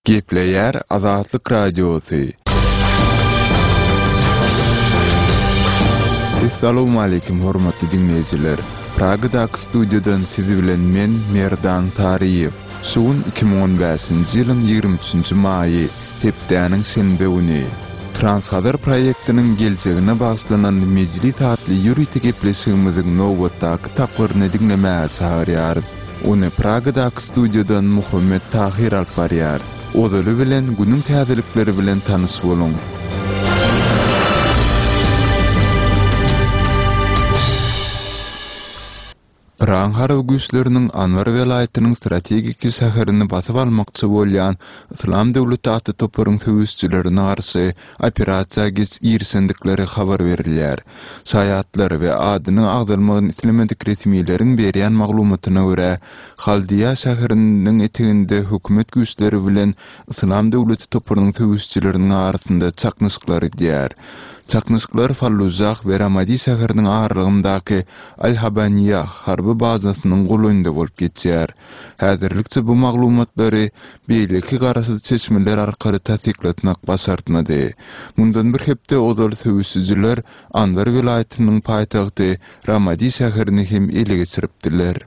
Gepleýär Azatlyk Radiosy. Essalawmaleýkim hormatly diňleýjiler! Pragadaky studiýadan siz bilen men Merdan Saryýew. Şu gün 2015-nji ýylyň 23-nji maýy, hepdäniň şenbe güni. Transhazar proýektiniň geljegine bagyşlanan mejlis atly ýörite gepleşigimiziň nobatdaky tapgyryny diňlemäge çagyrýarys. Ony Pragadaky studiýadan Muhammet Tahyr alyp barýar. Ozaly bilen günüň täzelikleri bilen tanyş boluň. Yragyň harby güýçleriniň Anbar welaýatynyň strategiki şäherini basyp almakçy bolýan Yslam döwleti atly toparyň söweşijilerine garşy operasiýa girişendikleri habar berilýär. Şaýatlar we adynyň agzalmagyny islemedik resmileriň berýän maglumatyna görä, Haldiýa şäheriniň eteginde hökümet güýçleri bilen Yslam döwleti toparynyň söweşijileriniň arasynda çaknyşyklar gidýär. Çaknyşyklar Fallujah we Ramadi şäheriniň aralygyndaky Al-Habaniýah harby bazasynyň golaýynda bolup geçýär. Häzirlikçe bu maglumatlary beýleki garaşsyz çeşmeler arkaly tassyklatmak başartmady. Mundan bir hepde ozal söweşijiler Anbar welaýatynyň paýtagty Ramadi şäherini hem ele geçiripdiler.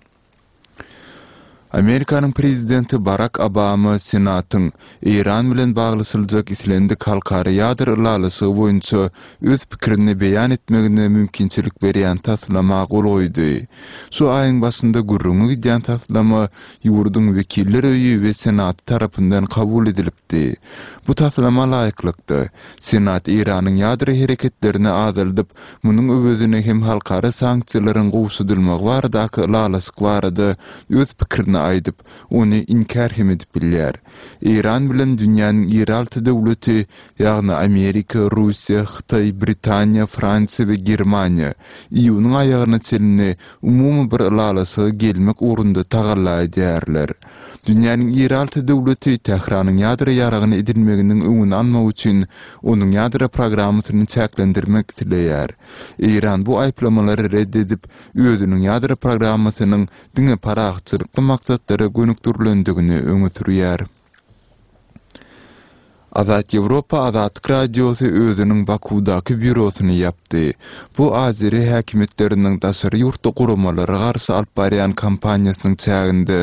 Amerikanyň prezidenti Barak Obama Senatyň Eýran bilen baglaşyljak islendik halkara ýadro ylalaşygy boýunça öz pikirini beýan etmegine mümkinçilik berýän taslama gol goýdy. Şu aýyň başynda gürrüňi gidýän taslama ýurduň Wekiller öýi we Senaty tarapyndan kabul edilipdi. Bu taslama laýyklykda, Senat Eýranyň ýadro hereketlerini azaldyp, munuň öwezine hem halkara sanksiýalaryň gowşadylmagy baradaky ylalaşyk barada öz pikirini aýdyp, ony inkär hem edip bilýär. Eýran bilen dünýäniň iri alty döwleti, ýagny Amerika, Russiýa, Hytaý, Britaniýa, Fransiýa we Germaniýa iýunyň aýagyna çenli umumy bir ylalaşyga gelmek ugrunda tagalla edýärler. Dünýäniň iri alty döwleti Tähranyň ýadro ýaragyny edinmeginiň öňüni almak üçin onuň ýadro programmasyny çäklendirmek isleýär. Eýran bu aýyplamalary ret edip, özüniň ýadro programmasynyň diňe parahatçylykly maksatlara gönükdirilendigini öňe sürýär. Azat Ýewropa Azatlyk Radiosy özüniň Bakuwdaky býurosyny ýapdy. Bu azeri häkimiýetleriniň daşary ýurtly guramalara garşy alyp barýan kampaniýasynyň çäginde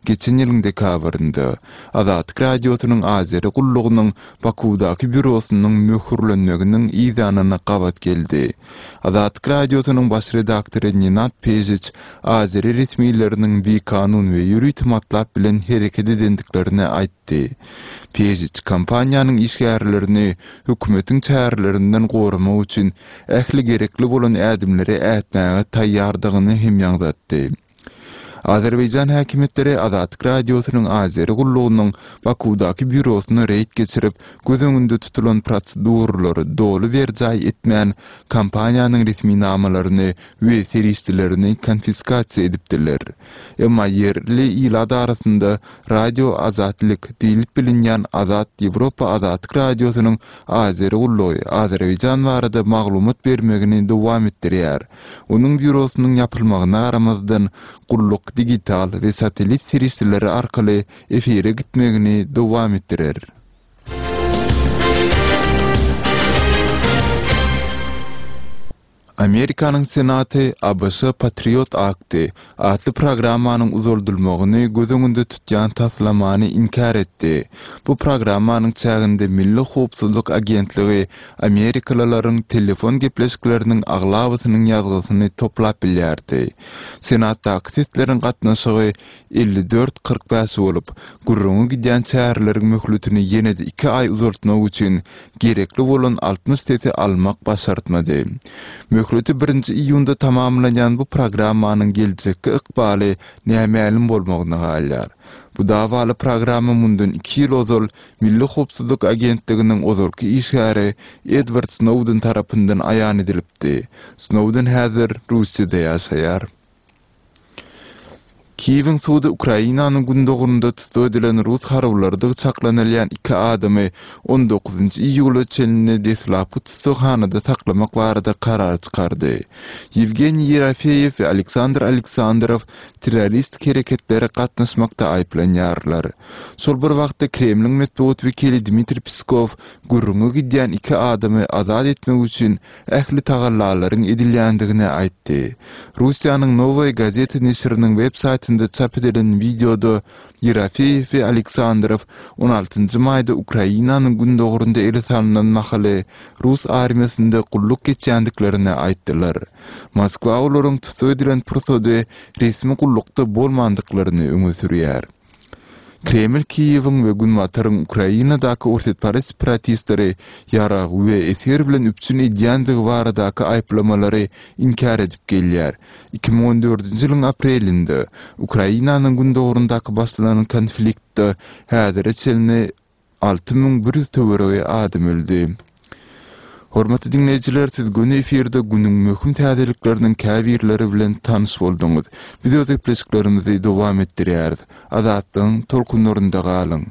geçen ýylyň dekabrynda Azatlyk Radiosynyň azeri gullugynyň Bakuwdaky býurosynyň möhürlenmeginiň yzýanyna gabat geldi. Azatlyk Radiosynyň baş redaktory Nenad Pežiç azeri resmileriniň bikanun we ýörite matlap bilen hereket edendiklerini aýtdy. Pežiç kompaniýanyň işgärlerini hökümetiň çärelerinden goramak üçin ähli gerekli bolan ädimleri ätmäge taýýardygyny hem ýaňzatdy. Azerbaýjan häkimiýetleri Azatlyk Radiosynyň Azeri gullugynyň Bakuwdaky býurosyna reýd geçirip, göz öňünde tutulan proseduralary doly berjaý etmän, kompaniýanyň resminamalaryny we serişdelerini konfiskasiýa edipdiler. Emma ýerli ilat arasynda Radio Azatlyk diýlip bilinýän Azat Ýewropa Azatlyk Radiosynyň Azeri gullugy Azerbaýjan barada maglumat bermegini dowam etdirýär. Onuň býurosynyň ýapylmagyna garamazdan, gulluk digital we satellit serişdeleri arkaly efire gitmegini dowam etdirer. Amerikanyň Senaty abş Patriot Akty atly programmanyň uzaldylmagyny göz öňünde tutýan taslamany inkär etdi. Bu programmanyň çäginde Milli howpsuzlyk agentligi amerikalylaryň telefon gepleşikleriniň aglabasynyň ýazgysyny toplap bilýärdi. Senatdaky sesleriň gatnaşygy 54, 45 bolup, gürrüňi gidýän çäreleriň möhletini ýene-de iki aý uzaltmak üçin gerekli bolan 60 sesi almak başartmady. Möhleti birinji iýunda tamamlanýan bu programmanyň geljekki ykbaly nämälim bolmagyna galýar. Bu dawaly programma mundan iki ýyl ozal Milli howpsuzlyk agentliginiň ozalky işgäri Edward Snowden tarapyndan aýan edilipdi. Snowden häzir Russiýada ýaşaýar. Kiýewiň sudy Ukrainanyň gündogarynda tussag edilen rus harbylarydygy çaklanylýan iki adamy on dokuzynjy iýula çenli deslapky tussaghanada saklamak barada karar çykardy. Ýewgeniý Ýerofeýew we Aleksandr Aleksandrow terroristik hereketlere gatnaşmakda aýyplanýarlar. Şol bir wagtda Kremliň metbugat wekili Dmitriý Peskow gürrüňi gidýän iki adamy azat etmek üçin ähli tagallalaryň edilýändigini aýtdy. Russiýanyň Nowaýa gazeta neşiriniň web saýtynda çap edilen wideoda Ýerofeýew we Aleksandrow on altynjy maýda Ukrainanyň gündogarynda ele salnan mahaly rus armiýasynda gulluk geçýändiklerini aýtdylar. Moskwa olaryň tussag edilen pursady resmi gullukda bolmandyklaryny öňe sürýär. Kreml Kiýewiň we Günbataryň Ukrainadaky orsýetparaz separatistleri ýarag we esger bilen üpjün edýändigi baradaky aýyplamalary inkär edip gelýär. 2014-nji ýylyň aprelinde Ukrainanyň gündogaryndaky başlanan konfliktde häzire çenli 6100 töweregi adam öldi. Hormatly diňleýjiler, siz göni efirde günüň möhüm täzelikleriniň käbirleri bilen tanyş bolduňyz. Biz öz gepleşiklerimizi dowam etdirýäris. Azatlygyň tolkunlarynda galyň!